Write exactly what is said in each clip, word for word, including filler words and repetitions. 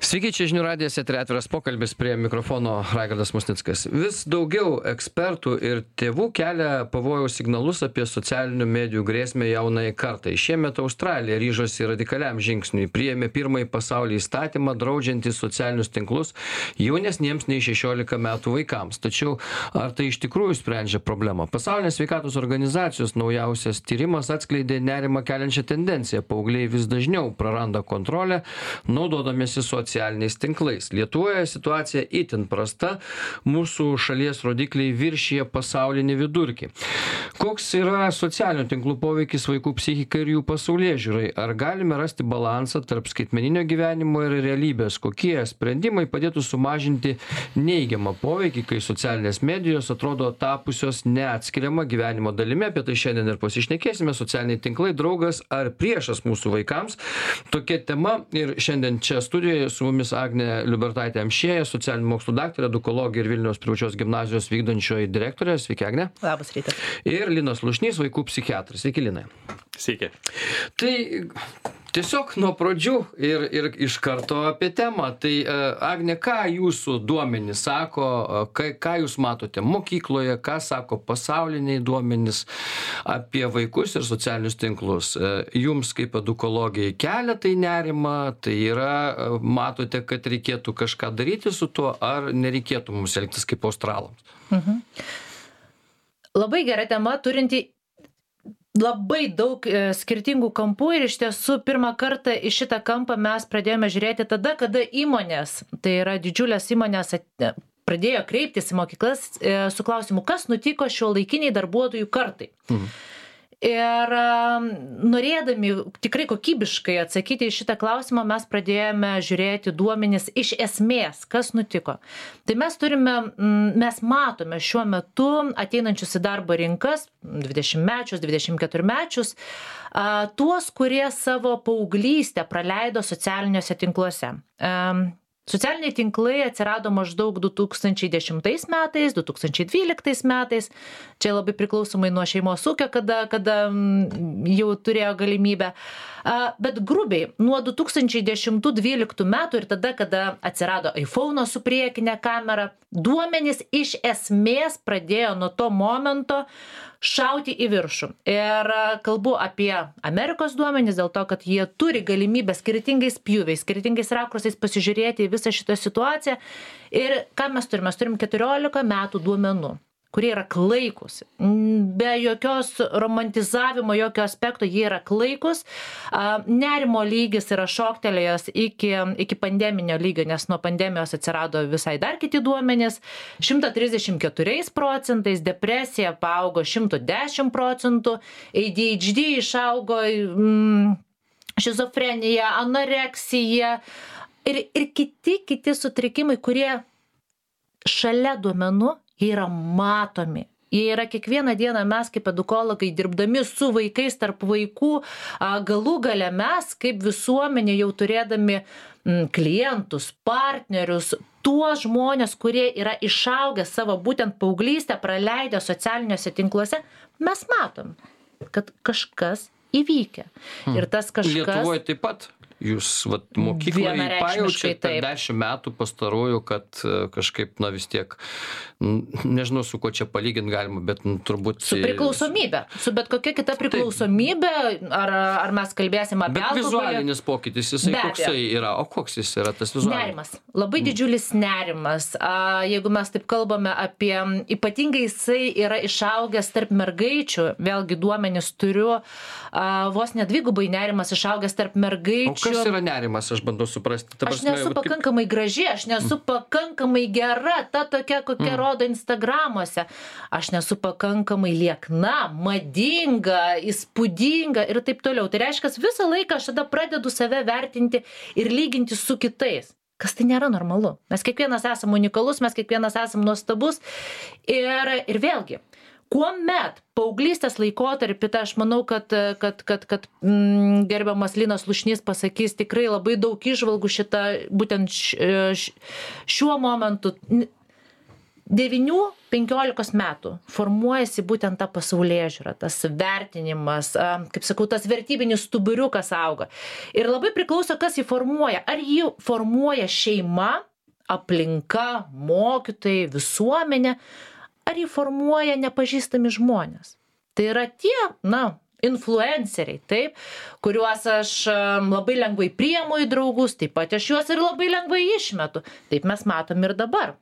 Sveiki, čia žinių radijas, eteryje atviras pokalbis, prie mikrofono Raigardas Musnickas. Vis daugiau ekspertų ir tėvų kelia pavojaus signalus apie socialinių medijų grėsmę jaunai kartai. Šiemet Australija ryžosi radikaliam žingsniui, priėmė pirmąjį pasaulyje įstatymą draudžiantį socialinius tinklus jaunesniems nei šešiolika metų vaikams. Tačiau ar tai iš tikrųjų sprendžia problemą? Pasaulinės sveikatos organizacijos naujausias tyrimas atskleidė nerimą keliančią tendenciją. Paaugliai vis dažniau praranda kontrolę, naudodamiesi socialiniais socialiniais tinklais. Lietuvoje situacija itin prasta, mūsų šalies rodikliai viršyje pasaulinį vidurkį. Koks yra socialinių tinklų poveikis vaikų psichikai ir jų pasaulėžiūrai? Ar galime rasti balansą tarp skaitmeninio gyvenimo ir realybės? Kokie sprendimai padėtų sumažinti neigiamą poveikį, kai socialinės medijos atrodo tapusios neatskiriama gyvenimo dalimi? Apie tai šiandien ir pasišnekėsime. Socialiniai tinklai draugas ar priešas mūsų vaikams? Tokia tema ir šiandien čia studijoje su mumis Agnė Liubertaitė Amšiejė, socialinių mokslų daktarė, edukologė ir Vilniaus privačios gimnazijos vykdančioji direktorė. Sveiki, Agnė. Labas rytas. Ir Linas Lušnys, vaikų psichiatras. Sveiki, Linai. Sveiki. Tai tiesiog nuo pradžių ir, ir iš karto apie temą. Tai Agnė, ką jūsų duomenys sako, ką, ką jūs matote mokykloje, ką sako pasauliniai duomenys apie vaikus ir socialinius tinklus? Jums kaip edukologijai kelia tai nerimą, tai yra, matote, kad reikėtų kažką daryti su tuo, ar nereikėtų mums elgtis kaip australams? Mhm. Labai gera tema, turinti labai daug e, skirtingų kampų ir iš tiesų pirmą kartą į šitą kampą mes pradėjome žiūrėti tada, kada įmonės, tai yra didžiulės įmonės, at, pradėjo kreiptis į mokyklas e, su klausimu, kas nutiko šiuolaikiniai darbuotojų kartai. Mhm. Ir norėdami tikrai kokybiškai atsakyti į šitą klausimą, mes pradėjome žiūrėti duomenis iš esmės, kas nutiko. Tai mes turime, mes matome šiuo metu ateinančius į darbo rinkas, dvidešimtmečius, dvidešimt keturmečius, tuos, kurie savo paauglystę praleido socialiniuose tinkluose. Socialiniai tinklai atsirado maždaug du tūkstančiai dešimtais metais, du tūkstančiai dvyliktais metais. Čia labai priklausomai nuo šeimos ūkio, kada, kada jau turėjo galimybę. Bet grubiai nuo du tūkstančiai dešimtų dvyliktų metų ir tada, kada atsirado iPhone'o su priekinė kamera, duomenys iš esmės pradėjo nuo to momento šauti į viršų. Ir kalbu apie Amerikos duomenys dėl to, kad jie turi galimybę skirtingais pjūviais, skirtingais rakursais pasižiūrėti į visą šitą situaciją. Ir ką mes turime? Mes turim keturiolika metų duomenų, kurie yra klaikus. Be jokios romantizavimo, jokio aspekto, jie yra klaikus. Nerimo lygis yra šoktelėjęs iki, iki pandeminio lygio, nes nuo pandemijos atsirado visai dar kiti duomenys. šimtas trisdešimt keturiais procentais, depresija paaugo šimtas dešimt procentų, A D H D išaugo, mm, šizofrenija, anoreksija ir, ir kiti, kiti sutrikimai, kurie šalia duomenų jie yra matomi. Jie yra kiekvieną dieną mes kaip edukologai dirbdami su vaikais tarp vaikų, galų gale mes kaip visuomenė jau turėdami klientus, partnerius, tuos žmonės, kurie yra išaugę savo būtent paauglystę, praleidę socialiniuose tinkluose, mes matom, kad kažkas įvykę. Hmm. Ir tas kažkas... Lietuvoje taip pat? Jūs vat, mokykloje pajaučiate per dešimt metų pastarųjų, kad kažkaip, na vis tiek, nežinau, su kuo čia palyginti galima, bet nu, turbūt... Su priklausomybė. Su bet kokia kita priklausomybė, ar, ar mes kalbėsim apie bet alkoholį. Bet vizualinis pokytis, jisai koksai yra? O koks jis yra tas vizualinis? Nerimas. Labai didžiulis nerimas. A, jeigu mes taip kalbame apie... Ypatingai jisai yra išaugęs tarp mergaičių, vėlgi duomenis turiu, a, vos nedvigubai nerimas išaugęs tarp mergaičių. O kas yra nerimas, aš bandau suprasti? Ta prasme, aš nesu pakankamai kaip... graži, aš nesu pakankamai gera, ta tokia, kokia mm. rodo Instagramuose. Aš nesu pakankamai liekna, madinga, įspūdinga ir taip toliau. Tai reiškia, visą laiką aš tada pradedu save vertinti ir lyginti su kitais. Kas tai nėra normalu. Mes kiekvienas esame unikalus, mes kiekvienas esame nuostabus. Ir, ir vėlgi, kuomet paauglystės laikotarpį, tai aš manau, kad, kad, kad, kad mm, gerbiamas Linas Lušnys pasakys tikrai labai daug įžvalgų šitą, būtent š, š, šiuo momentu. devynių penkiolikos metų formuojasi būtent ta pasaulėžiūra, tas vertinimas, kaip sakau, tas vertybinis stuburiukas auga. Ir labai priklauso, kas jį formuoja. Ar jį formuoja šeima, aplinka, mokytojai, visuomenė, ar jį formuoja nepažįstami žmonės. Tai yra tie, na, influenceriai, taip, kuriuos aš labai lengvai priimu į draugus, taip pat aš juos ir labai lengvai išmetu. Taip mes matom ir dabar.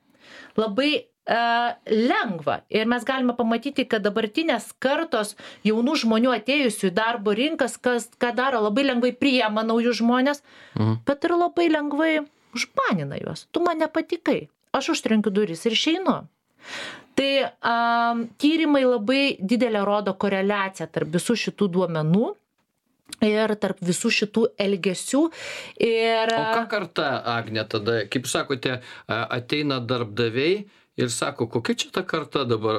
Labai uh, lengva. Ir mes galime pamatyti, kad dabartinės kartos jaunų žmonių atėjusių į darbo rinkas, kas, ką daro, labai lengvai priima naujus žmonės, mhm. bet ir labai lengvai užbanina juos. Tu man nepatikai. Aš užtrenkiu duris ir išeinu. Tai um, tyrimai labai didelę rodo koreliaciją tarp visų šitų duomenų ir tarp visų šitų elgesių. Ir... O ką karta, Agne, tada, kaip sakote, ateina darbdaviai ir sako, kokia čia ta karta dabar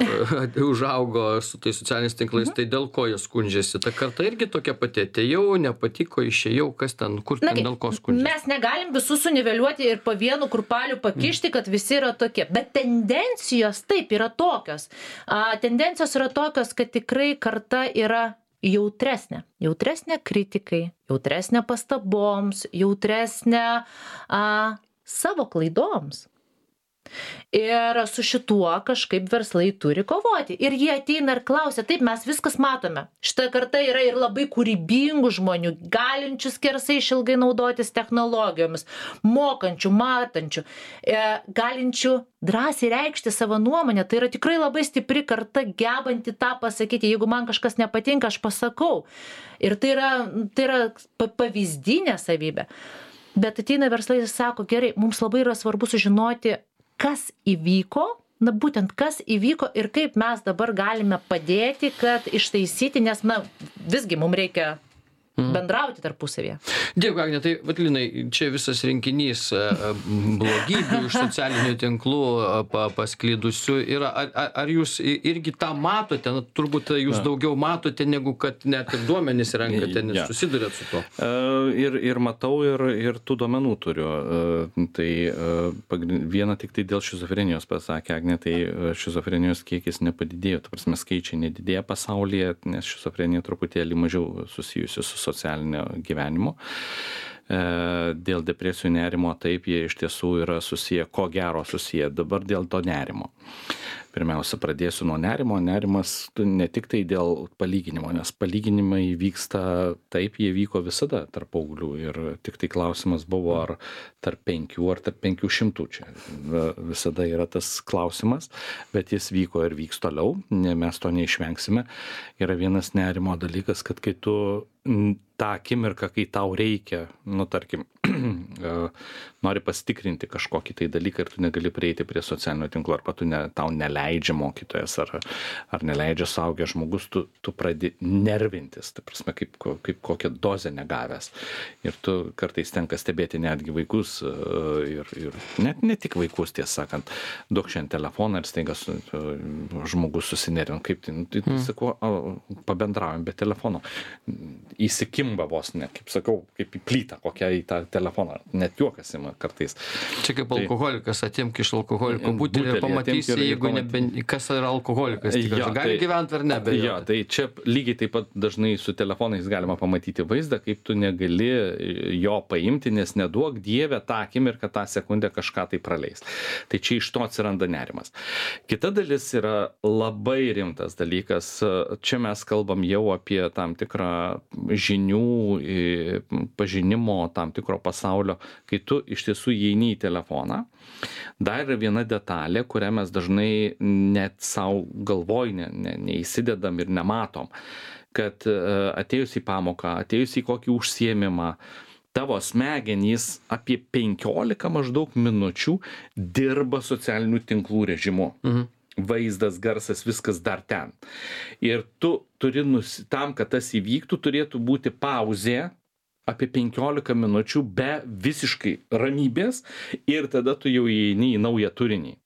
užaugo su tais socialiniais tinklais, tai dėl ko jie skundžiasi? Ta karta irgi tokia pati, atėjau, nepatiko, išėjau, kas ten, kur ten, dėl ko skundžiasi? Mes negalim visus suniveliuoti ir po vienu kurpaliu pakišti, kad visi yra tokie. Bet tendencijos taip yra tokios. A, tendencijos yra tokios, kad tikrai karta yra jautresnė. Jautresnė kritikai, jautresnė pastaboms, jautresnė a, savo klaidoms. Ir su šituo kažkaip verslai turi kovoti. Ir jie ateina ir klausia, taip, mes viskas matome. Šita karta yra ir labai kūrybingų žmonių, galinčių skersai išilgai naudotis technologijomis, mokančių, matančių, e, galinčių drąsiai reikšti savo nuomonę. Tai yra tikrai labai stipri karta, gebanti tą pasakyti. Jeigu man kažkas nepatinka, aš pasakau. Ir tai yra, tai yra pavyzdinė savybė. Bet ateina verslai ir sako, gerai, mums labai yra svarbu sužinoti, kas įvyko, na būtent kas įvyko ir kaip mes dabar galime padėti, kad ištaisyti, nes, na, visgi mums reikia bendrauti tarpusavėje. Dėkui, Agne, tai, Vatlinai, čia visas rinkinys blogybių iš socialinių tinklų pa, pasklydusių yra. Ar, ar, ar jūs irgi tą matote? Na, turbūt jūs daugiau matote, negu kad net ir duomenys renkate, nes ja. susidurėt su to. Ir, ir matau, ir, ir tų duomenų turiu. Tai viena tik tai dėl šizofrenijos pasakė Agne, tai šizofrenijos kiekis nepadidėjo. Ta prasme, skaičiai nedidėja pasaulyje, nes šizofrenija truputėlį mažiau susijusi su socialinio gyvenimo. Dėl depresijų nerimo taip jie iš tiesų yra susiję, ko gero susiję. Dabar dėl to nerimo. Pirmiausia, pradėsiu nuo nerimo. Nerimas ne tik tai dėl palyginimo, nes palyginimai vyksta taip, jie vyko visada tarp paauglių. Ir tik tai klausimas buvo, ar tarp penkių ar tarp penkių šimtų. Čia visada yra tas klausimas, bet jis vyko ir vyks toliau, mes to neišvengsime. Yra vienas nerimo dalykas, kad kai tu tą akimirką, kai tau reikia, nu tarkim, nori pasitikrinti kažkokį tai dalyką ir tu negali prieiti prie socialinio tinklo, arba tu ne, tau neleidžia mokytojas, ar, ar neleidžia suaugęs žmogus, tu, tu pradedi nervintis, tai prasme, kaip, kaip kokią dozę negavęs. Ir tu kartais tenka stebėti netgi vaikus, ir, ir net ne tik vaikus, tiesą sakant, duok šiandien telefoną ir staiga su, žmogus susinervina, kaip tai, nu, tai mm. sakau, pabendraujam be telefono. Įsikimba vos, ne, kaip sakau, kaip į plytą kokią į tą telefoną, net juokas ima kartais. Čia kaip tai, alkoholikas, atimk iš alkoholiko butelį ir pamatysi, ir, jeigu nebe, kas yra alkoholikas, tikrai, ja, gali tai, gyventi ar ne. Bet ja, tai čia lygiai taip pat dažnai su telefonais galima pamatyti vaizdą, kaip tu negali jo paimti, nes neduok Dieve tą akimirką, tą sekundę kažką tai praleis. Tai čia iš to atsiranda nerimas. Kita dalis yra labai rimtas dalykas. Čia mes kalbam jau apie tam tikrą žinių, pažinimo tam tikro pasaulio, kai tu iš tiesų įeini į telefoną. Dar yra viena detalė, kurią mes dažnai net savo galvoj ne, ne, neįsidedam ir nematom, kad atėjus į pamoką, atėjus į kokį užsiėmimą, tavo smegenys apie penkiolika maždaug minučių dirba socialinių tinklų režimu. Mhm. Vaizdas, garsas, viskas dar ten. Ir tu turi, nusi... tam, kad tas įvyktų, turėtų būti pauzė apie penkiolika minučių be visiškai ramybės ir tada tu jau įeini į naują turinį.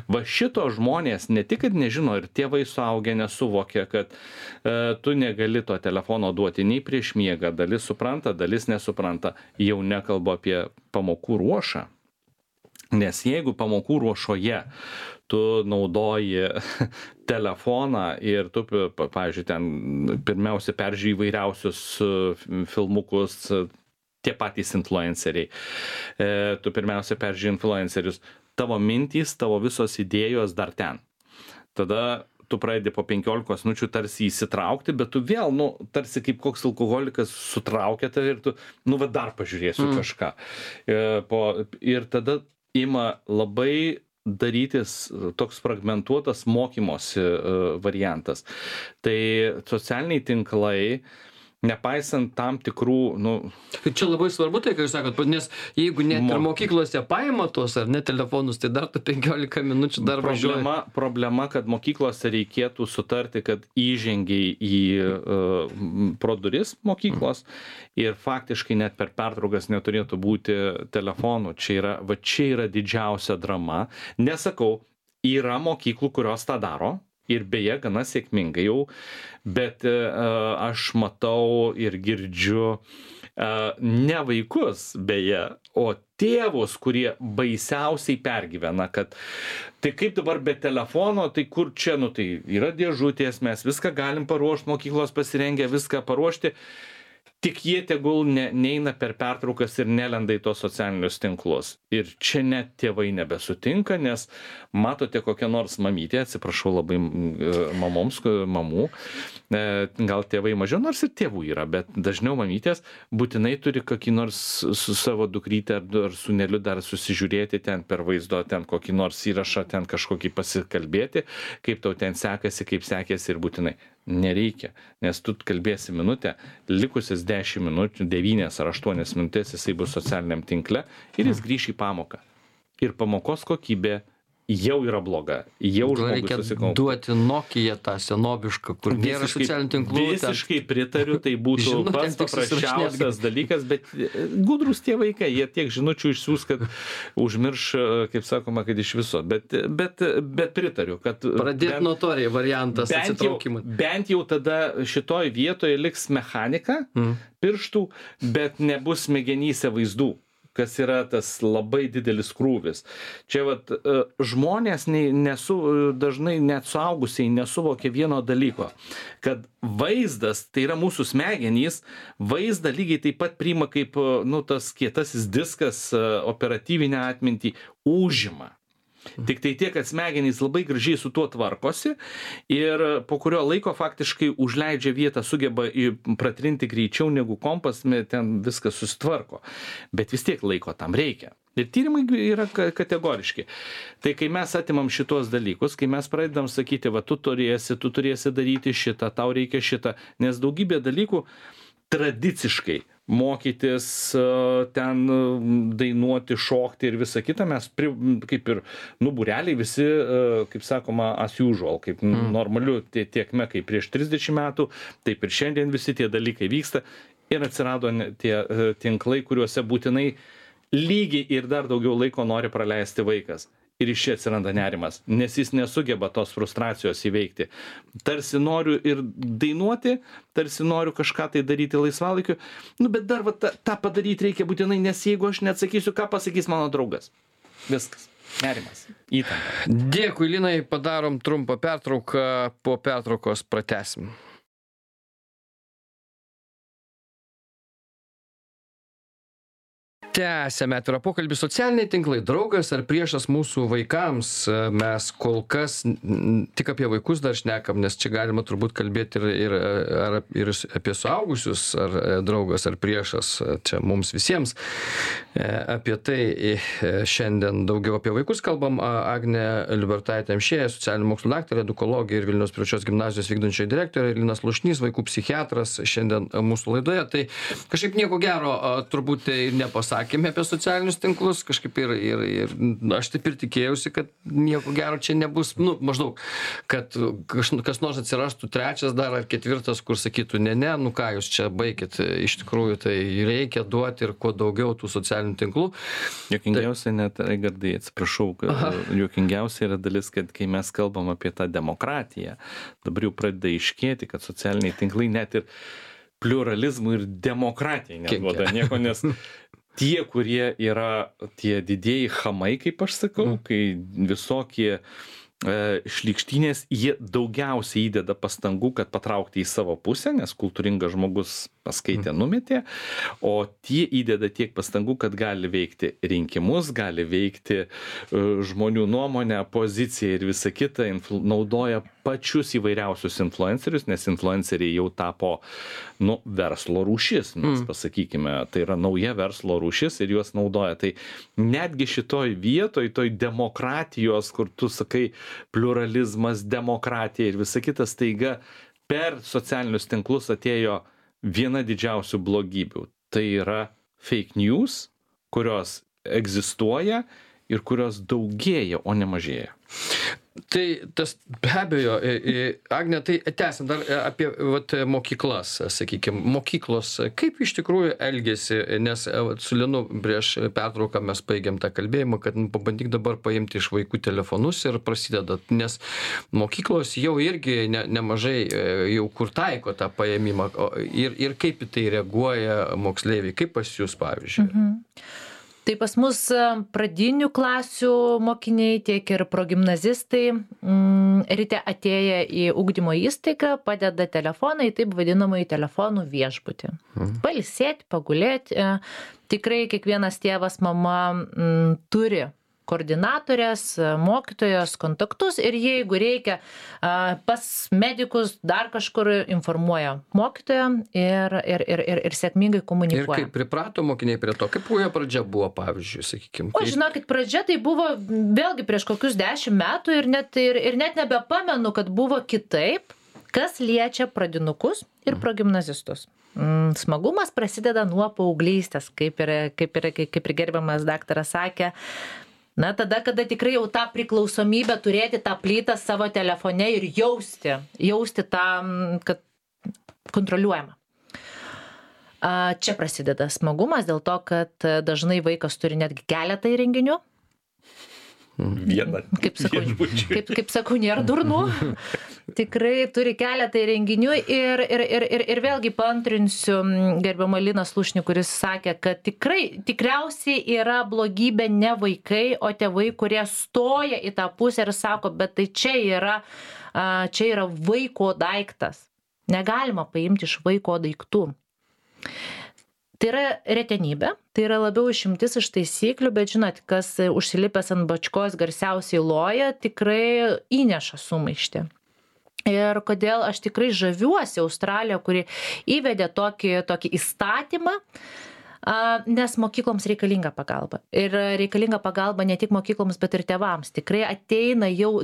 Va šito žmonės ne tik, kad nežino, ir tėvai suaugę nesuvokia, kad e, tu negali to telefono duoti nei prieš miegą, dalis supranta, dalis nesupranta, jau nekalbu apie pamokų ruošą. Nes jeigu pamokų ruošoje tu naudoji telefoną ir tu, pavyzdžiui, ten pirmiausia peržiūri įvairiausius filmukus, tie patys influenceriai, tu pirmiausia peržiūri influencerius, tavo mintys, tavo visos idėjos dar ten. Tada tu pradedi po penkiolikos minučių tarsi įsitraukti, bet tu vėl, nu, tarsi kaip koks alkoholikas sutraukia tave ir tu, nu, va dar pažiūrėsiu mm. kažką. Po, ir tada ima labai darytis toks fragmentuotas mokymosi variantas. Tai socialiniai tinklai, nepaisant tam tikrų, nu... Čia labai svarbu tai, ką jūs sakot, nes jeigu net ir mokyklose paima tos ar ne telefonus, tai dar tu penkiolika minučių dar važiuoji. Problema, problema, kad mokyklose reikėtų sutarti, kad įžengiai į uh, pro duris mokyklos ir faktiškai net per pertraukas neturėtų būti telefonų. Čia yra, va čia yra didžiausia drama. Nesakau, yra mokyklų, kurios tą daro. Ir beje, gana sėkmingai jau, bet uh, aš matau ir girdžiu uh, ne vaikus, beje, o tėvus, kurie baisiausiai pergyvena, kad tai kaip dabar be telefono, tai kur čia, nu tai yra dėžutės, mes viską galim paruošti, mokyklos pasirengę viską paruošti. Tik jie tegul ne, neina per pertraukas ir nelenda į tos socialinius tinklus. Ir čia net tėvai nebesutinka, nes matote kokią nors mamytę, atsiprašau labai mamoms, mamų, gal tėvai mažiau, nors ir tėvų yra, bet dažniau mamytės būtinai turi kokį nors su savo dukryte ar sūneliu dar susižiūrėti ten per vaizdo, ten kokį nors įrašą, ten kažkokį pasikalbėti, kaip tau ten sekasi, kaip sekėsi ir būtinai. Nereikia, nes tu kalbėsi minutę, likusias dešimt minučių, devynias ar aštuonias minutės jisai bus socialiniam tinkle ir jis grįš į pamoką. Ir pamokos kokybė jau yra bloga. Jau reikia duoti Nokia tą senobišką, kur nėra socialinių tinklų. Visiškai pritariu, tai būtų žinau, pats paprasčiausias dalykas, bet gudrus tie vaikai, jie tiek žinučių išsiųs, kad užmirš, kaip sakoma, kad iš viso. Bet, bet, bet pritariu, kad... Pradėti nuo to variantas atsitraukimui. Bent jau tada šitoj vietoje liks mechanika mm. pirštų, bet nebus smegenyse vaizdų, kas yra tas labai didelis krūvis. Čia vat, žmonės nesu, dažnai net suaugusiai nesuvokia vieno dalyko, kad vaizdas, tai yra mūsų smegenys, vaizdą lygiai taip pat priima kaip nu, tas kietasis diskas operatyvinę atmintį užima. Tik tai tiek, kad smegenys labai gražiai su tuo tvarkosi ir po kurio laiko faktiškai užleidžia vietą, sugeba pratrinti greičiau negu kompas, ten viskas susitvarko. Bet vis tiek laiko tam reikia. Ir tyrimai yra kategoriški. Tai kai mes atimam šitos dalykus, kai mes pradedam sakyti, va tu turėsi, tu turėsi daryti šitą, tau reikia šitą, nes daugybė dalykų tradiciškai mokytis, ten dainuoti, šokti ir visą kitą, mes pri, kaip ir, nu, būreliai visi, kaip sakoma, as usual, kaip mm. normaliu tiekme, kaip prieš trisdešimt metų, taip ir šiandien visi tie dalykai vyksta ir atsirado tie tinklai, kuriuose būtinai lygiai ir dar daugiau laiko nori praleisti vaikas. Ir iš čia atsiranda nerimas, nes jis nesugeba tos frustracijos įveikti. Tarsi noriu ir dainuoti, tarsi noriu kažką tai daryti laisvalaikiu, nu bet dar va, tą, tą padaryti reikia būtinai, nes jeigu aš neatsakysiu, ką pasakys mano draugas. Viskas. Nerimas. Įtampa. Dėkui, Linai, padarom trumpą pertrauką, po pertraukos pratęsim. Tęsiame atvirą pokalbį. Socialiniai tinklai, draugas ar priešas mūsų vaikams. Mes kol kas tik apie vaikus dar šnekam, nes čia galima turbūt kalbėti ir, ir, ar, ir apie suaugusius, ar draugas ar priešas. Čia mums visiems apie tai šiandien daugiau apie vaikus kalbam. Agnė Liubertaitė Amšiejė, socialinių mokslų daktarė, edukologė ir Vilniaus privačios gimnazijos vykdančioji direktorė, Linas Lušnys, vaikų psichiatras, šiandien mūsų laidoje. Tai kažkaip nieko gero turbūt tai nepasakė. Sakėme apie socialinius tinklus, kažkaip ir, ir, ir aš taip ir tikėjausi, kad nieko gero čia nebus, nu, maždaug, kad kas, kas nors atsirastų trečias dar ar ketvirtas, kur sakytų, ne, ne, nu ką jūs čia baikit, iš tikrųjų tai reikia duoti ir kuo daugiau tų socialinių tinklų. Juokingiausia tai... net, Raigardai, atsiprašau, juokingiausia yra dalis, kad kai mes kalbam apie tą demokratiją, dabar jau pradeda iškėti, kad socialiniai tinklai net ir pliuralizmų ir demokratijai neduoda nieko, nes tie, kurie yra tie didieji chamai, kaip aš sakau, mm. kai visokie šlykštynės, jie daugiausiai įdeda pastangų, kad patraukti į savo pusę, nes kultūringas žmogus paskaitė, numetė, o tie įdeda tiek pastangų, kad gali veikti rinkimus, gali veikti žmonių nuomonę, poziciją ir visą kitą, influ, naudoja pačius įvairiausius influencerius, nes influenceriai jau tapo nu, verslo rūšis, mes mm. pasakykime, tai yra nauja verslo rūšis ir juos naudoja. Tai netgi šitoj vietoj, toj demokratijos, kur tu sakai, pluralizmas, demokratija ir visa kita, staiga per socialinius tinklus atėjo viena didžiausių blogybių. Tai yra fake news, kurios egzistuoja ir kurios daugėja, o ne mažėja. Tai tas be abejo, Agne, tai tęsiant dar apie vat, mokyklas, sakykime, mokyklos, kaip iš tikrųjų elgėsi, nes vat, su Linu prieš pertrauką mes baigėm tą kalbėjimą, kad nu, pabandyk dabar paimti iš vaikų telefonus ir prasideda, nes mokyklos jau irgi ne, nemažai jau kur taiko tą paėmimą ir, ir kaip į tai reaguoja moksleiviai, kaip pas jūs, pavyzdžiui. Mhm. Tai pas mus pradinių klasių mokiniai, tiek ir progimnazistai mm, ryte atėję į ugdymo įstaigą padeda telefoną į taip vadinamąjį telefonų viešbutį. Mhm. Pailsėti, pagulėti. Tikrai kiekvienas tėvas, mama mm, turi koordinatorės, mokytojos kontaktus ir jeigu reikia pas medikus dar kažkur informuoja mokytoją ir, ir, ir, ir, ir sėkmingai komunikuoja. Ir kaip priprato mokiniai prie to, kaip jo pradžia buvo, pavyzdžiui, sakykime. O žinokit, pradžia tai buvo vėlgi prieš kokius dešimt metų ir net, ir, ir net nebepamenu, kad buvo kitaip, kas liečia pradinukus ir progimnazistus. Smagumas prasideda nuo paauglystės, kaip ir, kaip ir, kaip ir gerbiamas daktaras sakė. Na, tada, kada tikrai jau tą priklausomybę turėti tą plytą savo telefone ir jausti, jausti tą, kad kontroliuojama. Čia prasideda smagumas dėl to, kad dažnai vaikas turi netgi keletą įrenginių. Vieną. Kaip sakau, kaip, kaip sakau, nėra durnų. Tikrai turi keletą įrenginių ir, ir, ir, ir, ir vėlgi paantrinsiu gerbiamą Liną Slušnį, kuris sakė, kad tikrai, tikriausiai yra blogybė ne vaikai, o tėvai, kurie stoja į tą pusę ir sako, bet tai čia yra, čia yra vaiko daiktas. Negalima paimti iš vaiko daiktų. Tai yra retenybė, tai yra labiau išimtis iš taisyklių, bet žinot, kas užsilipęs ant bačkos garsiausiai loja, tikrai įneša sumaištį. Ir kodėl aš tikrai žaviuosi Australiją, kuri įvedė tokį, tokį įstatymą, nes mokykloms reikalinga pagalba. Ir reikalinga pagalba ne tik mokykloms, bet ir tėvams. Tikrai ateina jau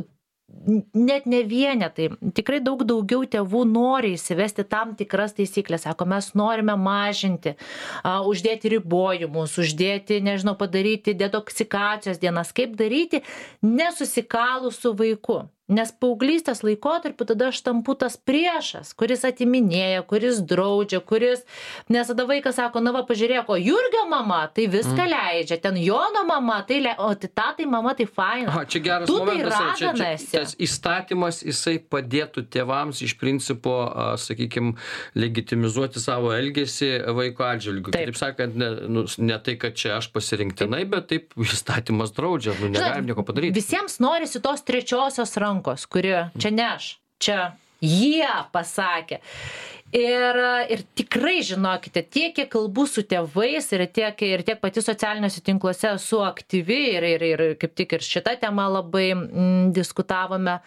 net ne vienetai, tikrai daug daugiau tėvų nori įsivesti tam tikras taisyklės. Sako, mes norime mažinti, uh, uždėti ribojimus, uždėti, nežinau, padaryti detoksikacijos dienas, kaip daryti nesusikalus su vaiku. Nes paauglystės laikotarpiu tada aš tampu tas priešas, kuris atiminėja, kuris draudžia, kuris, nes tada vaikas sako, na va, pažiūrėk, o Jurgio mama tai viską mm. leidžia, ten Jono mama, tai le... o tai tatai mama tai faina. Aha, čia geras tu momentas, tai čia, čia, tas įstatymas, jisai padėtų tėvams iš principo, sakykime, legitimizuoti savo elgesį vaiko atžvilgiu. Taip sakant, ne, nu, ne tai, kad čia aš pasirinktinai, taip. Bet taip įstatymas draudžia, nu, negalim nieko padaryti. Visiems norisi tos trečiosios rankos, kuri čia ne aš, čia jie pasakė. Ir, ir tikrai žinokite, tiek, kiek kalbu su tėvais ir tiek, ir tiek pati socialiniuose tinkluose esu aktyvi ir, ir, ir kaip tik ir šitą temą labai mm, diskutavome,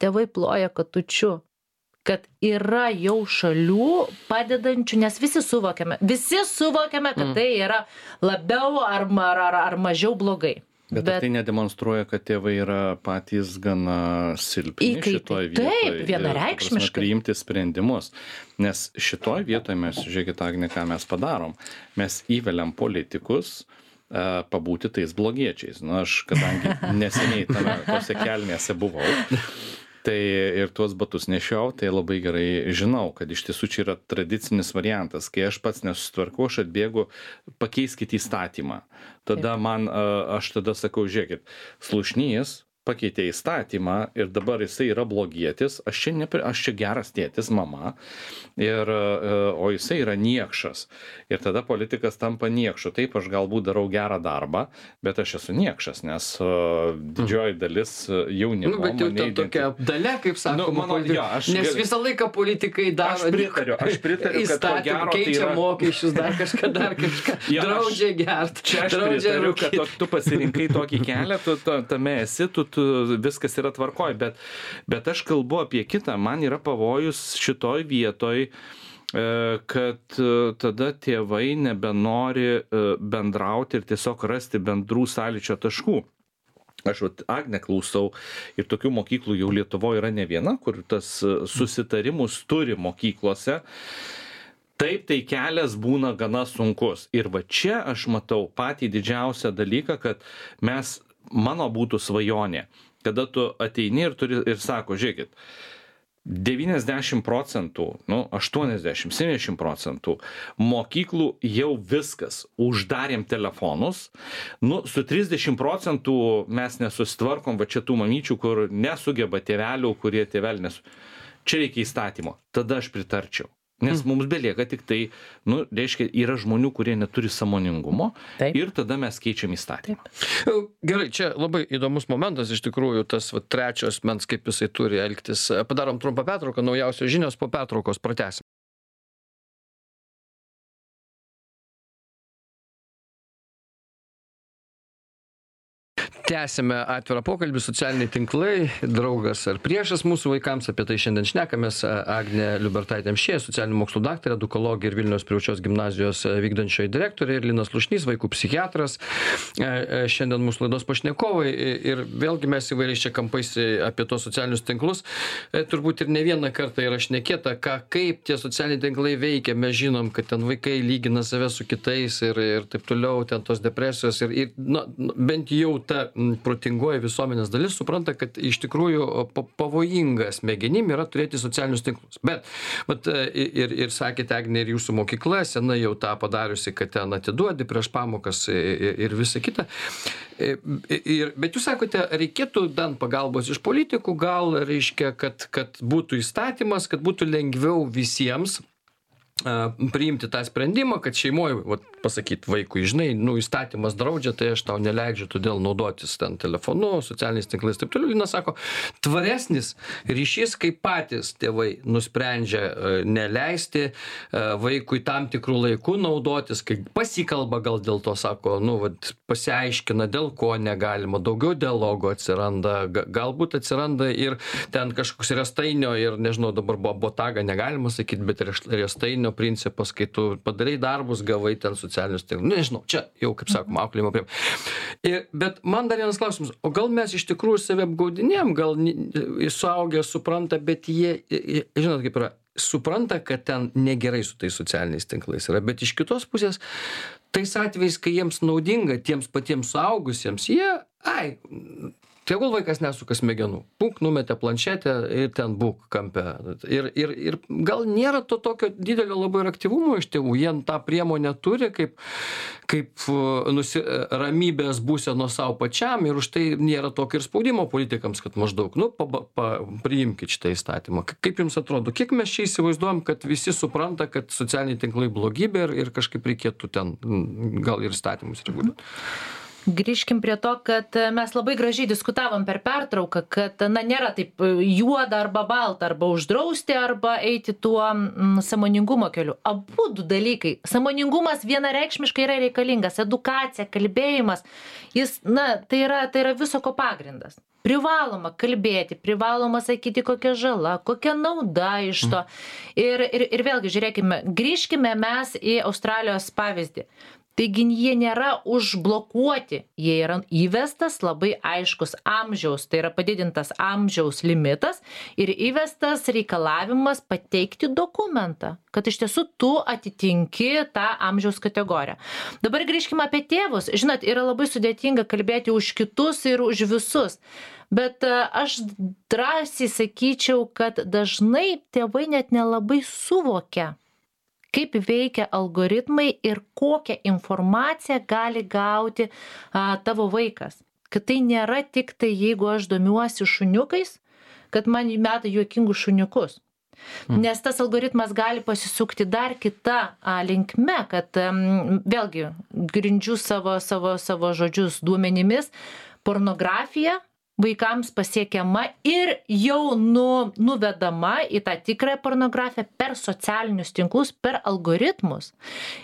tėvai ploja katučiu, kad yra jau šalių padedančių, nes visi suvokiame, visi suvokiame, kad tai yra labiau ar, ar, ar mažiau blogai. Bet, bet tai nedemonstruoja, kad tėvai yra patys gana silpni šitoj vietoj. Taip, vienareikšmiškai. Priimti sprendimus. Nes šitoj vietoj mes, žiūrėkit, Agne, ką mes padarom. Mes įveliam politikus uh, pabūti tais blogiečiais. Nu, aš, kadangi neseniai tame, tose kelnėse buvau, tai ir tuos batus nešiau, tai labai gerai žinau, kad iš tiesų čia yra tradicinis variantas. Kai aš pats nesusitvarkau, aš atbėgu, pakeiskit įstatymą. Tada man, aš tada sakau, žiūrėkit, Slušnys pakeitė įstatymą ir dabar jisai yra blogietis, aš čia, nepri, aš čia geras tėtis, mama, ir, o jisai yra niekšas. Ir tada politikas tampa niekšu. Taip, aš galbūt darau gerą darbą, bet aš esu niekšas, nes uh, didžioji dalis jaunimo... Nu, bet jau ta tokia dalia, kaip sakoma, nu, mano, jo, aš nes gal... visą laiką politikai daro... Aš pritariu, aš pritariu, kad to gero tai keičia yra... mokesčius, dar kažką, dar kažką, ja, draudžia gert. Čia aš pritariu, kad tu, tu pasirinkai tokį kelią, tu, tu tame esi, tu, tu viskas yra tvarkoj, bet, bet aš kalbu apie kitą, man yra pavojus šitoj vietoj, kad tada tėvai nebenori bendrauti ir tiesiog rasti bendrų sąlyčio taškų. Aš vat, Agnę klausau ir tokių mokyklų jau Lietuvoje yra ne viena, kur tas susitarimus turi mokyklose. Taip, tai kelias būna gana sunkus. Ir va čia aš matau patį didžiausią dalyką, kad mes, mano būtų svajonė, kada tu ateini ir, turi, ir sako, žiūrėkit, devyniasdešimt procentų, nu, aštuoniasdešimt, septyniasdešimt procentų mokyklų jau viskas, uždarėm telefonus, nu, su trisdešimt procentų mes nesusitvarkom, va čia tų mamyčių, kur nesugeba tėvelių, kurie tėvelių nesu... Čia reikia įstatymo, tada aš pritarčiau. Nes mums belieka tik tai, nu, reiškia, yra žmonių, kurie neturi sąmoningumo. Taip. Ir tada mes keičiam įstatymą. Taip. Gerai, čia labai įdomus momentas, iš tikrųjų, tas va, trečios mens, kaip jisai turi elgtis. Padarom trumpą pertrauką, naujausios žinios, po pertraukos pratęsim. Tęsime atvirą pokalbį, socialiniai tinklai, draugas ar priešas mūsų vaikams, apie tai šiandien šnekamės. Agnė Liubertaitė-Amšiejė, socialinių mokslų daktarė, edukologė ir Vilniaus privačios gimnazijos vykdančioji direktorė, ir Linas Slušnys, vaikų psichiatras. Šiandien mūsų laidos pašnekovai ir vėlgi mes įvairiais čia kampais apie tos socialinius tinklus. Turbūt ir ne vieną kartą yra šnekėta, ką, kaip tie socialiniai tinklai veikia. Mes žinom, kad ten vaikai lygina save su kitais ir, ir taip toliau, ten tos depresijos ir, ir na, bent jau ta protingoji visuomenės dalis supranta, kad iš tikrųjų pavojinga smegenim yra turėti socialinius tinklus. Bet, bet ir, ir sakėte, Agnė, ir jūsų mokykla sena jau tą padariusi, kad ten atiduodi prieš pamokas ir, ir visa kita. Ir, bet jūs sakote, reikėtų bent pagalbos iš politikų, gal reiškia, kad, kad būtų įstatymas, kad būtų lengviau visiems priimti tą sprendimą, kad šeimoje, vat, pasakyt vaikui, žinai, nu, įstatymas draudžia, tai aš tau neleidžiu todėl naudotis ten telefonu, socialiniais tinklais, taip toliau. Linas sako, tvaresnis ryšys, kai patys tėvai nusprendžia neleisti vaikui tam tikrų laikų naudotis, kai pasikalba gal dėl to, sako, nu, vat, pasiaiškina, dėl ko negalima, daugiau dialogo atsiranda, galbūt atsiranda ir ten kažkoks restainio ir, nežinau, dabar buvo botaga, negalima sakyti, bet restainio principas, kai tu padarai darbus, gavai ten socialinius tinklus. Nežinau, čia jau, kaip sakoma, auklėjimo priemonė. Bet man dar vienas klausimas, o gal mes iš tikrųjų save apgaudinėjom, gal suaugę supranta, bet jie, žinot, kaip yra, supranta, kad ten negerai su tais socialiniais tinklais yra, bet iš kitos pusės, tais atvejais, kai jiems naudinga, tiems patiems suaugusiems, jie, ai, tegul vaikas nesuka smegenų. Punk, numetė planšetę ir ten būk kampe. Ir, ir, ir gal nėra to tokio didelio labai ir aktyvumo iš tėvų. Jie tą priemonę turi kaip, kaip nusi, ramybės būseno savo pačiam ir už tai nėra tokio ir spaudimo politikams, kad maždaug, nu, pa, pa, priimkit šitą įstatymą. Kaip jums atrodo, kiek mes čia įsivaizduojam, kad visi supranta, kad socialiniai tinklai blogybė ir, ir kažkaip reikėtų ten gal ir įstatymus reguliuoti? Grįžkim prie to, kad mes labai gražiai diskutavom per pertrauką, kad na, nėra taip juoda arba balta, arba uždrausti, arba eiti tuo mm, sąmoningumo keliu. Abu du dalykai. Sąmoningumas vienareikšmiškai yra reikalingas, edukacija, kalbėjimas, jis, na, tai yra, tai yra viso ko pagrindas. Privaloma kalbėti, privaloma sakyti, kokia žala, kokia nauda iš to. Ir, ir, ir vėlgi, žiūrėkime, grįžkime mes į Australijos pavyzdį. Taigi jie nėra užblokuoti, jie yra įvestas labai aiškus amžiaus, tai yra padidintas amžiaus limitas ir įvestas reikalavimas pateikti dokumentą, kad iš tiesų tu atitinki tą amžiaus kategoriją. Dabar grįžkime apie tėvus. Žinot, yra labai sudėtinga kalbėti už kitus ir už visus. Bet aš drąsiai sakyčiau, kad dažnai tėvai net nelabai suvokia, kaip veikia algoritmai ir kokią informaciją gali gauti a, tavo vaikas. kad tai nėra tik tai, jeigu aš domiuosi šuniukais, kad man meta juokingus šuniukus. Mm. Nes tas algoritmas gali pasisukti dar kitą a, linkme, kad um, vėlgi grindžiu savo, savo, savo žodžius duomenimis, pornografija vaikams pasiekiama ir jau nu, nuvedama į tą tikrąją pornografiją per socialinius tinklus, per algoritmus.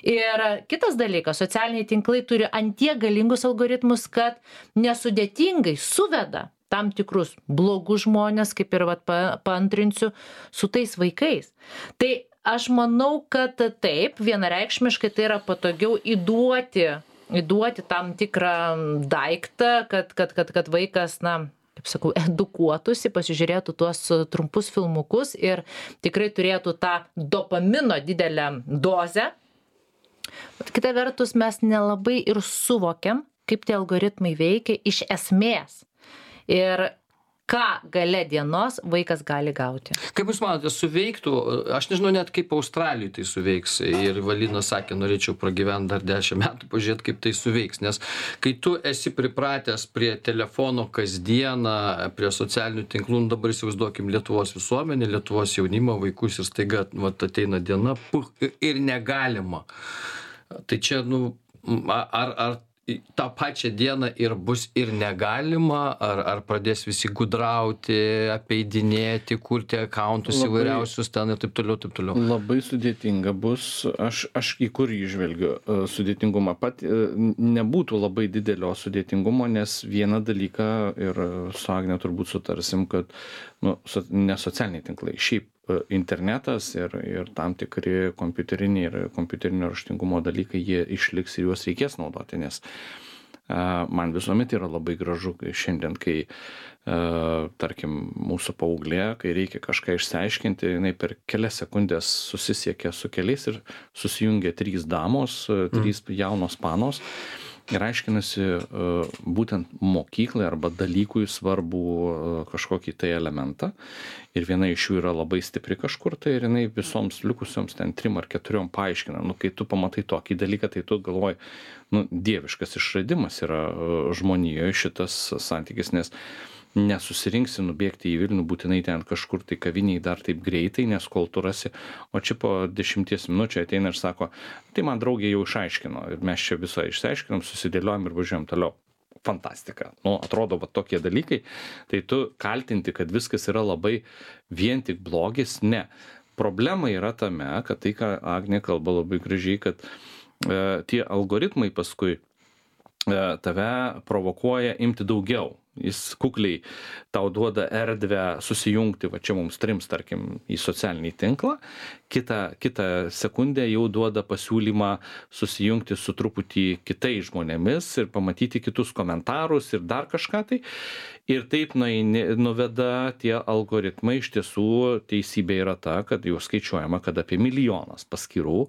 Ir kitas dalykas, socialiniai tinklai turi antiek galingus algoritmus, kad nesudėtingai suveda tam tikrus blogus žmonės, kaip ir vat, pa, paantrinsiu, su tais vaikais. Tai aš manau, kad taip, vienareikšmiškai tai yra patogiau įduoti įduoti tam tikrą daiktą, kad, kad, kad, kad vaikas, na, kaip sakau, edukuotųsi, pasižiūrėtų tuos trumpus filmukus ir tikrai turėtų tą dopamino didelę dozę. Bet kita vertus, mes nelabai ir suvokiam, kaip tie algoritmai veikia iš esmės. Ir ką gale dienos vaikas gali gauti. Kaip Jūs manote, suveiktų, aš nežinau net kaip Australijai tai suveiks, ir Valinas sakė, norėčiau pragyventi dar dešimt metų, pažiūrėti, kaip tai suveiks, nes kai tu esi pripratęs prie telefono kasdieną, prie socialinių tinklų, dabar įsivaizduokim Lietuvos visuomenę, Lietuvos jaunimą, vaikus ir staiga vat, ateina diena, puh, ir negalima. Tai čia, nu, ar, ar tą pačią dieną ir bus ir negalima, ar, ar pradės visi gudrauti, apeidinėti, kurti akauntus labai, įvairiausius ten ir taip toliau, taip toliau. Labai sudėtinga bus, aš, aš į kur įžvelgiu sudėtingumą. Pat nebūtų labai didelio sudėtingumo, nes vieną dalyką ir su Agne turbūt sutarsim, kad nu, ne socialiniai tinklai, šiaip internetas ir, ir tam tikri kompiuteriniai ir kompiuterinio raštingumo dalykai, jie išliks ir juos reikės naudoti, nes uh, man visuomet yra labai gražu šiandien, kai, uh, tarkim, mūsų paauglė, kai reikia kažką išsiaiškinti, jinai per kelias sekundės susisiekia su keliais ir susijungia trys damos, mm. trys jaunos panos. Ir aiškinasi uh, būtent mokyklai arba dalykui svarbų uh, kažkokį tai elementą. Ir viena iš jų yra labai stipri kažkur, tai ir jinai visoms likusioms ten trim ar keturiom paaiškina. Nu, kai tu pamatai tokį dalyką, tai tu galvoji, nu, dieviškas išradimas yra uh, žmonijoje šitas santykis, nes nesusirinksi nubėgti į Vilnių būtinai ten kažkur tai kaviniai dar taip greitai, nes kol tu rasi, o čia po dešimties minučių ateina ir sako, tai man draugė jau išaiškino ir mes čia visą išsiaiškinom, susidėliojom ir važiuojam toliau. Fantastika. Nu, atrodo, va tokie dalykai, tai tu kaltinti, kad viskas yra labai vien tik blogis, ne. Problema yra tame, kad tai, ką Agnė kalba labai gražiai, kad e, tie algoritmai paskui e, tave provokuoja imti daugiau. Jis kukliai tau duoda erdvę susijungti, va čia mums trims, tarkim, į socialinį tinklą, kitą, kitą sekundę jau duoda pasiūlymą susijungti su truputį kitais žmonėmis ir pamatyti kitus komentarus ir dar kažką tai. Ir taip nueini, nuveda tie algoritmai, iš tiesų teisybė yra ta, kad jau skaičiuojama, kad apie milijonas paskyrų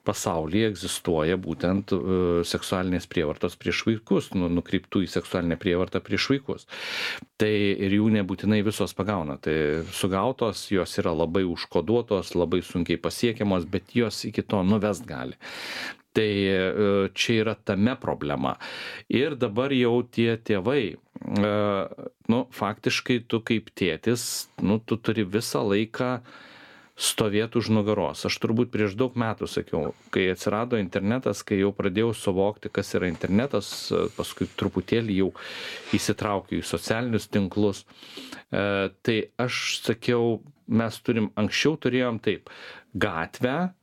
pasaulyje egzistuoja būtent uh, seksualinės prievartos prieš vaikus, nu, nukreiptų į seksualinę prievartą prieš vaikus. Tai ir jų nebūtinai visos pagauna. Tai sugautos, jos yra labai užkoduotos, labai sunkiai pasiekiamos, bet jos iki to nuvest gali. Tai čia yra tame problema. Ir dabar jau tie tėvai, nu, faktiškai tu kaip tėtis, nu, tu turi visą laiką stovėti už nugaros. Aš turbūt prieš daug metų sakiau, kai atsirado internetas, kai jau pradėjau suvokti, kas yra internetas, paskui truputėlį jau įsitraukiau į socialinius tinklus, tai aš sakiau, mes turim, anksčiau turėjom taip, gatvę,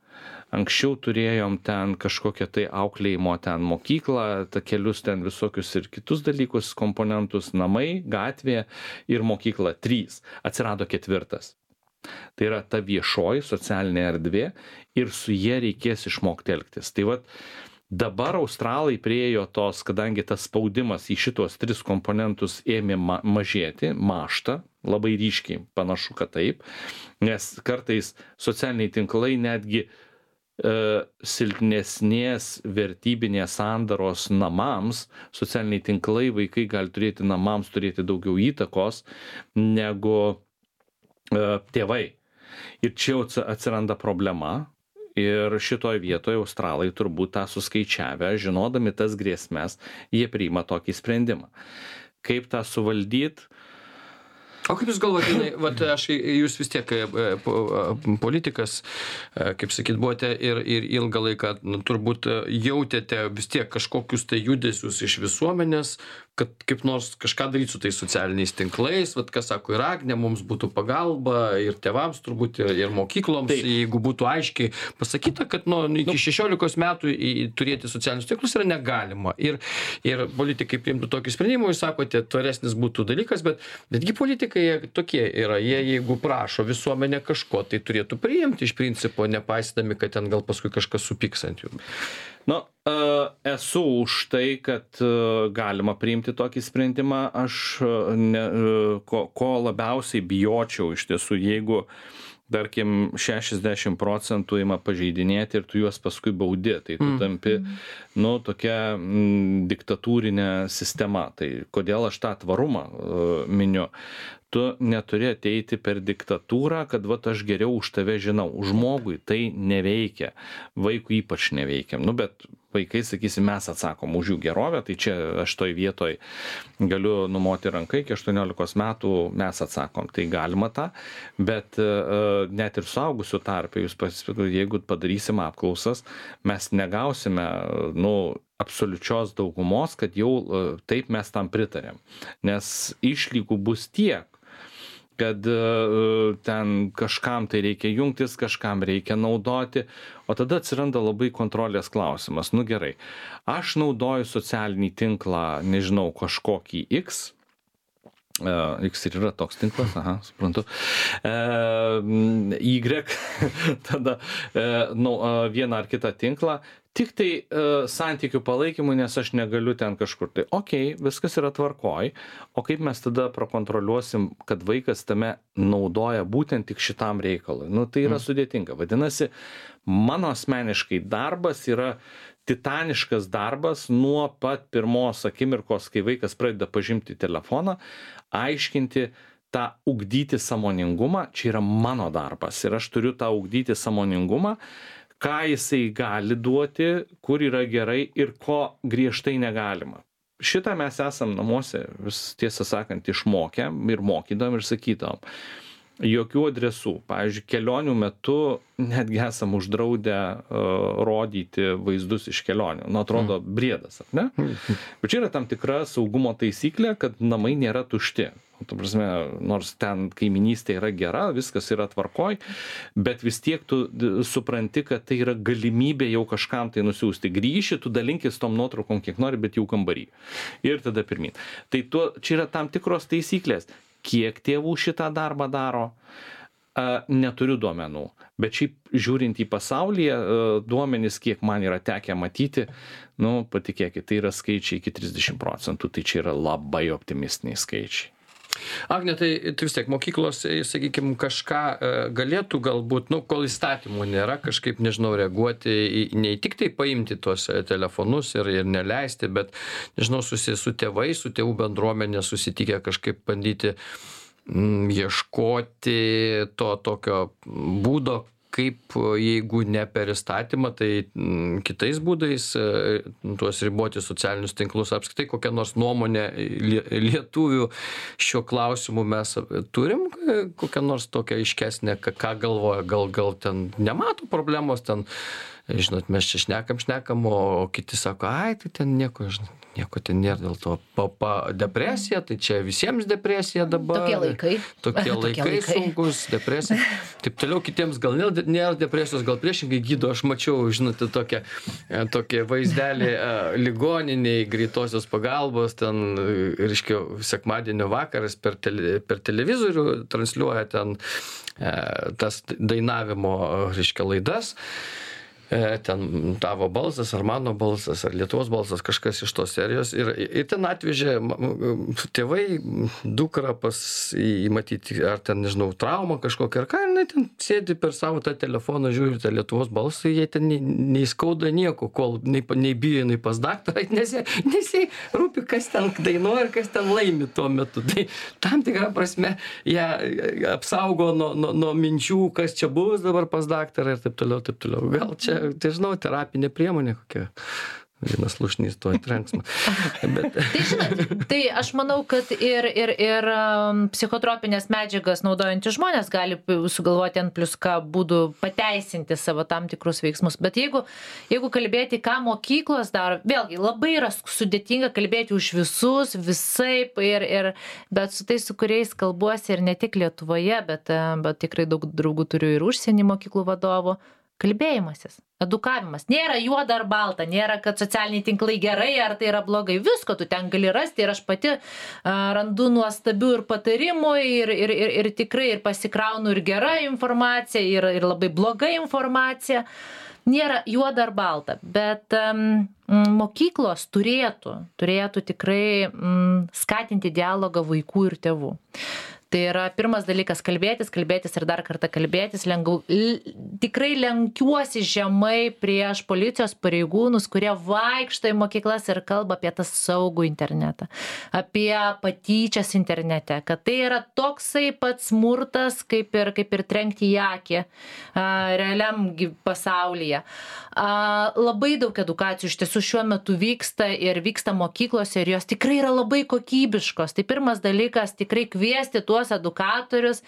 anksčiau turėjom ten kažkokią tai auklėjimo ten mokyklą, takelius ten visokius ir kitus dalykus, komponentus, namai, gatvė ir mokykla, trys. Atsirado ketvirtas. Tai yra ta viešoji socialinė erdvė ir su jie reikės išmokti elgtis. Tai vat dabar australai priėjo tos, kadangi tas spaudimas į šitos tris komponentus ėmė ma- mažėti, maštą, labai ryškiai panašu, kad taip, nes kartais socialiniai tinklai netgi silpnesnės vertybinės sandaros namams, socialiniai tinklai, vaikai gali turėti namams, turėti daugiau įtakos negu uh, tėvai. Ir čia atsiranda problema Ir šitoje vietoje australai turbūt tą suskaičiavę, žinodami tas grėsmes, jie priima tokį sprendimą. Kaip tą suvaldyti? O kaip jūs galvojate, vat aš, jūs vis tiek politikas, kaip sakyt, buvote ir, ir ilgą laiką, nu, turbūt jautėte vis tiek kažkokius tai judesius iš visuomenės, kad kaip nors kažką daryti su tais socialiniais tinklais, vat kas sako, ir Agnė, mums būtų pagalba, ir tėvams turbūt, ir, ir mokykloms, tai, jeigu būtų aiškiai pasakyta, kad nu, iki šešiolikos metų į, turėti socialinius tinklus yra negalima. Ir, ir politikai priimtų tokį sprendimą, jūs sakote, tvaresnis būtų dalykas, bet betgi politikai tokie yra, jie jeigu prašo visuomenė kažko, tai turėtų priimti iš principo, nepaisydami, kad ten gal paskui kažkas supyks ant jų. Nu, esu už tai, kad galima priimti tokį sprendimą. Aš ne, ko, ko labiausiai bijočiau iš tiesų, jeigu, tarkim, šešiasdešimt procentų ima pažeidinėti ir tu juos paskui baudi, tai tu tampi, nu, tokia m, diktatūrinė sistema. Tai kodėl aš tą tvarumą uh, miniu? Tu neturi ateiti per diktatūrą, kad vat aš geriau už tave žinau. Žmogui tai neveikia, vaikui ypač neveikia. Nu, bet vaikai, sakysim, mes atsakom už jų gerovę, tai čia aš toj vietoj galiu numoti rankai, iki aštuoniolikos metų mes atsakom. Tai galima tą, bet uh, net ir suaugusių tarpe, jūs pasipirkite, jeigu padarysim apklausas, mes negausime, nu, absoliučios daugumos, kad jau uh, taip mes tam pritarėm. Nes išlygų bus tiek, kad uh, ten kažkam tai reikia jungtis, kažkam reikia naudoti, o tada atsiranda labai kontrolės klausimas. Nu gerai, aš naudoju socialinį tinklą, nežinau, kažkokį X, uh, X ir yra toks tinklas, aha, suprantu, uh, Y, tada uh, nu, uh, vieną ar kitą tinklą, tik tai uh, santykių palaikymui, nes aš negaliu ten kažkur. Tai okei, okay, viskas yra tvarkoj, o kaip mes tada prakontroliuosim, kad vaikas tame naudoja būtent tik šitam reikalui? Nu, tai yra mm. sudėtinga. Vadinasi, mano asmeniškai darbas yra titaniškas darbas nuo pat pirmos akimirkos, kai vaikas pradeda pažinti telefoną, aiškinti, tą ugdyti sąmoningumą, čia yra mano darbas ir aš turiu tą ugdyti sąmoningumą, ką jisai gali duoti, kur yra gerai ir ko griežtai negalima. Šitą mes esam namuose, vis tiesą sakant, išmokę ir mokydam ir sakytam. Jokių adresų. Pavyzdžiui, kelionių metu netgi esam uždraudę uh, rodyti vaizdus iš kelionių. Nu, atrodo, briedas, ar ne? Bet čia yra tam tikra saugumo taisyklė, kad namai nėra tušti. Tu prasme, nors ten kaiminystė yra gera, viskas yra tvarkoj, bet vis tiek tu supranti, kad tai yra galimybė jau kažkam tai nusiųsti. Grįši, tu dalinkis tom nuotraukom kiek nori, bet jau kambarį. Ir tada pirmin. Tai tu, čia yra tam tikros taisyklės. Kiek tėvų šitą darbą daro, neturiu duomenų. Bet šiaip žiūrint į pasaulyje, duomenys, kiek man yra tekę matyti, nu, patikėkit, tai yra skaičiai iki trisdešimt procentų, tai čia yra labai optimistiniai skaičiai. Agne, tai, tai vis tiek mokyklos, sakykime, kažką galėtų galbūt, nu, kol įstatymų nėra, kažkaip, nežinau, reaguoti, į, ne tik tai paimti tuos telefonus ir, ir neleisti, bet, nežinau, susi, su tėvais, su tėvų bendruomenė susitikę kažkaip bandyti m, ieškoti to tokio būdo, kaip jeigu ne per įstatymą, tai m, kitais būdais tuos riboti socialinius tinklus, apskritai kokią nors nuomonę lietuvių šiuo klausimu mes turim, kokią nors tokią aiškesnę, ką galvoja, gal, gal ten nemato problemos, ten, žinot, mes čia šnekam, šnekam, o kiti sako, ai, tai ten nieko, žinot, nieko ten nėra dėl to. Papa depresija, tai čia visiems depresija dabar. Tokie laikai. Tokie laikai, laikai sunkus, depresija. Taip toliau kitiems gal nėra, nėra depresijos, gal priešingai gydo. Aš mačiau, žinote, tokią, tokią vaizdelį ligoniniai, greitosios pagalbos, ten, reiškia, sekmadienio vakaras per, tele, per televizorių transliuoja ten tas dainavimo, reiškia, laidas. ten tavo balsas, ar mano balsas, ar Lietuvos balsas, kažkas iš tos serijos. Ir, ir ten atvežė tėvai, dukra pas į matyti, ar ten, nežinau, traumą kažkokią, ar ką, ir ten sėdi per savo tą telefoną, žiūri tą Lietuvos balsą, jie ten neįskauda nieko, kol nei, nei bijo, nei pas daktarą, nes jie rūpi, kas ten dainuoja ir kas ten laimi tuo metu. Tai tam tikrą prasme ją apsaugo nuo, nuo, nuo minčių, kas čia bus dabar pas daktarą ir taip toliau, taip toliau. Gal čia, tai žinau, terapinė priemonė kokia. Vienas lušnys tuoj trenksmą. Bet... Tai žinot, tai aš manau, kad ir, ir, ir um, psichotropinės medžiagas naudojantys žmonės gali sugalvoti ant plius ką būdų pateisinti savo tam tikrus veiksmus. Bet jeigu, jeigu kalbėti, ką mokyklos daro, vėlgi labai yra sudėtinga kalbėti už visus, visaip, ir, ir, bet su tais, su kuriais kalbuosi ir ne tik Lietuvoje, bet, bet tikrai daug draugų turiu ir užsienį mokyklų vadovų. Kalbėjimasis, edukavimas. Nėra juoda ar balta, nėra, kad socialiniai tinklai gerai ar tai yra blogai. Visko tu ten gali rasti ir aš pati a, randu nuostabių ir patarimų ir, ir, ir, ir tikrai ir pasikraunu ir gerą informaciją, ir, ir labai bloga informacija. Nėra juoda ar balta, bet um, mokyklos turėtų, turėtų tikrai um, skatinti dialogą vaikų ir tėvų. Tai yra pirmas dalykas kalbėtis, kalbėtis ir dar kartą kalbėtis. Lengau, l, tikrai lenkiuosi žemai prieš policijos pareigūnus, kurie vaikšto į mokyklas ir kalba apie tą saugų internetą, apie patyčias internete, kad tai yra toksai pats smurtas, kaip ir, kaip ir trenkti į akį a, realiam pasaulyje. A, labai daug edukacijų iš tiesų šiuo metu vyksta ir vyksta mokyklose ir jos tikrai yra labai kokybiškos. Tai pirmas dalykas tikrai kviesti tuos edukatorius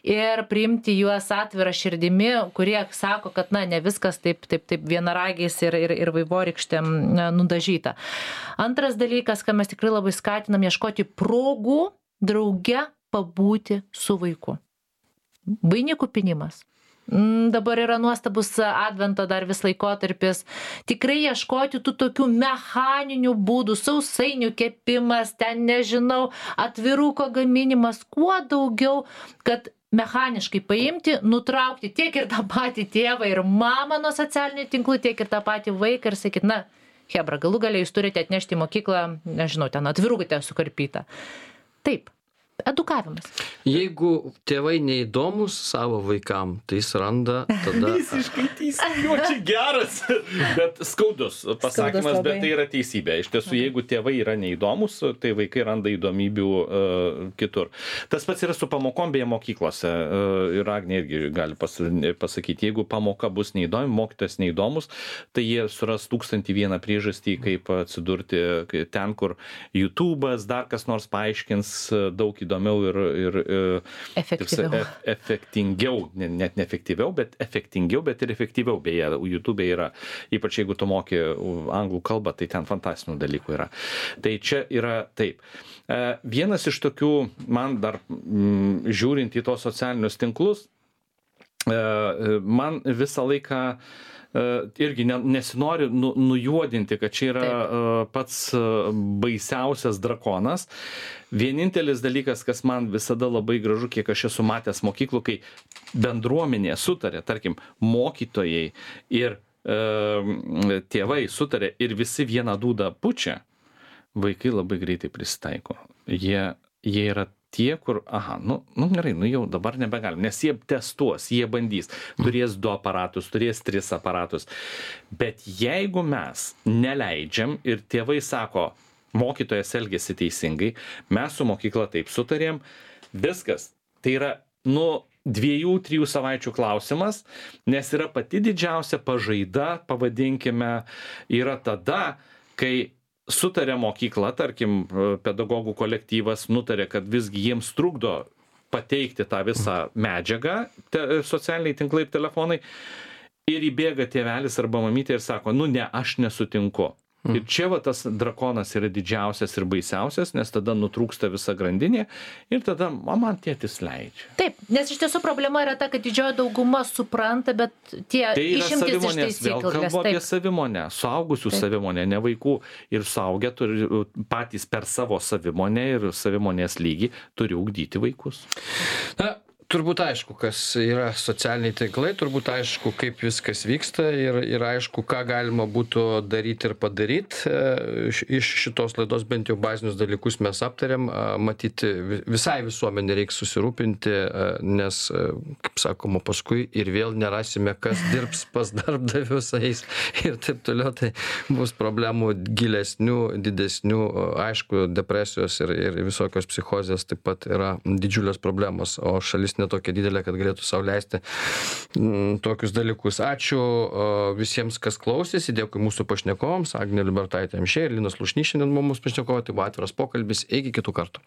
ir priimti juos atvirą širdimi, kurie sako, kad na, ne viskas taip, taip, taip vienaragiais ir, ir, ir vaivorykštėm nudažyta. Antras dalykas, ką mes tikrai labai skatinam, ieškoti progų drauge pabūti su vaiku. Vainikų pynimas. Dabar yra nuostabus advento dar vis laikotarpis. Tikrai ieškoti tų tokių mechaninių būdų, sausainių kepimas, ten nežinau, atviruko gaminimas, kuo daugiau, kad mechaniškai paimti, nutraukti tiek ir tą patį tėvą ir mamą nuo socialinių tinklų, tiek ir tą patį vaiką ir sakyti, na, hebra, galų galiai jūs turite atnešti į mokyklą, nežinau, ten atvirukite sukarpytą. Taip. Edukavimas. Jeigu tėvai neįdomus savo vaikam, tai jis randa tada... Visiškai teisybė, čia geras, bet skaudus pasakymas, bet tai yra teisybė. Iš tiesų, jeigu tėvai yra neįdomus, tai vaikai randa įdomybių uh, kitur. Tas pats yra su pamokom beje mokyklose. Uh, ir Agnė irgi gali pas, pasakyti, jeigu pamoka bus neįdomi, mokytojas neįdomus, tai jie suras tūkstantį vieną priežastį, kaip atsidurti ten, kur YouTube'as, dar kas nors paaiškins daug įdomiau ir, ir, ir efektyviau. Ef, efektingiau, net ne efektyviau, bet efektingiau, bet ir efektyviau. Beje, YouTube yra, ypač jeigu tu moki anglų kalbą, tai ten fantastinių dalykų yra. Tai čia yra taip. Vienas iš tokių, man dar m, žiūrint į tos socialinius tinklus, man visą laiką irgi nesinori nu, nujuodinti, kad čia yra Taip. pats baisiausias drakonas. Vienintelis dalykas, kas man visada labai gražu, kiek aš esu matęs mokyklų, kai bendruomenė sutarė, tarkim, mokytojai ir e, tėvai sutarė ir visi vieną dūdą pučia, vaikai labai greitai prisitaiko. Jie, jie yra tie, kur, aha, nu, nu gerai, nu jau dabar nebegalim, nes jie testuos, jie bandys, turės du aparatus, turės tris aparatus. Bet jeigu mes neleidžiam ir tėvai sako, mokytojas elgėsi teisingai, mes su mokykla taip sutarėm, viskas, tai yra, nu, dviejų, trijų savaičių klausimas, nes yra pati didžiausia pažaida, pavadinkime, yra tada, kai sutarė mokykla, tarkim, pedagogų kolektyvas nutarė, kad visgi jiems trukdo pateikti tą visą medžiagą, te, socialiniai tinklai ir telefonai, ir įbėga tėvelis arba mamytė ir sako, nu ne, aš nesutinku. Ir čia va tas drakonas yra didžiausias ir baisiausias, nes tada nutrūksta visa grandinė ir tada man tėtis leidžia. Taip, nes iš tiesų problema yra ta, kad didžioji dauguma supranta, bet tie tai išimtis iš taisyklės. Vėl kalbu apie savimonę, suaugusių taip. savimonę, ne vaikų. Ir suaugę turi patys per savo savimonę ir savimonės lygį turi ugdyti vaikus. Na, turbūt aišku, kas yra socialiniai tinklai, turbūt aišku, kaip viskas vyksta ir, ir aišku, ką galima būtų daryti ir padaryti. Iš šitos laidos bent jau bazinius dalykus mes aptarėm. Matyti, visai visuomenė reikia susirūpinti, nes, kaip sakoma, paskui ir vėl nerasime, kas dirbs pas darbdavius eis ir taip toliau. Tai bus problemų gilesnių, didesnių, aišku, depresijos ir, ir visokios psichozės taip pat yra didžiulės problemos, o šalis netokia didelė, kad galėtų sau leisti m, tokius dalykus. Ačiū o, visiems, kas klausėsi, dėkui mūsų pašnekovams, Agnė Liubertaitė Amšiejė ir Linas Slušnys šiandien mūsų pašnekovai, tai buvo atviras pokalbis, iki kitų kartų.